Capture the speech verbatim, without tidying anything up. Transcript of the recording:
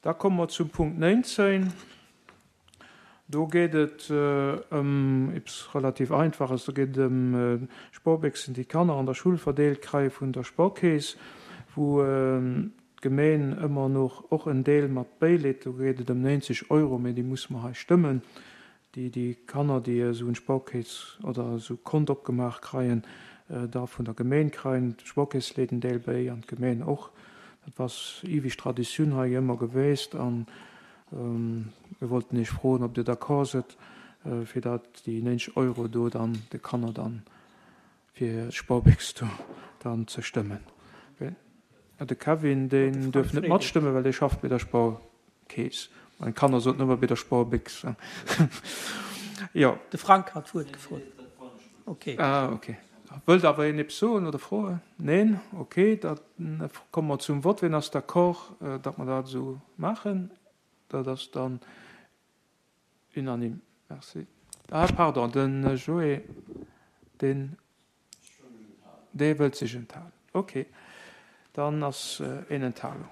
Da komme mer zum Punkt nénzéng. Do geet et ëm eppes relativ Einfaches. Do geet et ëm d'Sportbéchsen, déi d'Kanner an der Schull verdeelt kréie vun der Sportkeess, wou d'Gemeen ëmmer nach och en Deel mat bäileet. Do geet et ëm nénzeg Euro, mee déi musse mer hei stëmmen, déi déi Kanner, déi esou en Sportkeess oder esou Kont opgemaach kreien, da vun der Gemeen kreien. D'Sportkeess leet en Deel bäi an d'Gemeen och. Dat ass iwig Traditioun hei ëmmer geweest an mir wollten Iech froen, ob Dir d'accord sidd, fir dat déi nénzeg Euro do dann de Kanner dann fir d'Sportbéchs do dann ze stëmmen. De Kevin, deen duerf net matstëmmen, well dee schafft bei der Sparkeess. Meng Kanner soten ëmmer bei der Sparbéchs. Jo. De Frank hat d'Wuert gefrot. Okay. Ah, okay. Wëllt awer een eppes soen oder froen? Neen? Okay, da komme mer zum Vott. Wien ass d'accord, datt mer dat esou maachen? Dat ass dann unanime. Merci. Ah, pardon, de Joé, deen, dee wëllt sech enthalen. Okay, dann ass een Enthalung.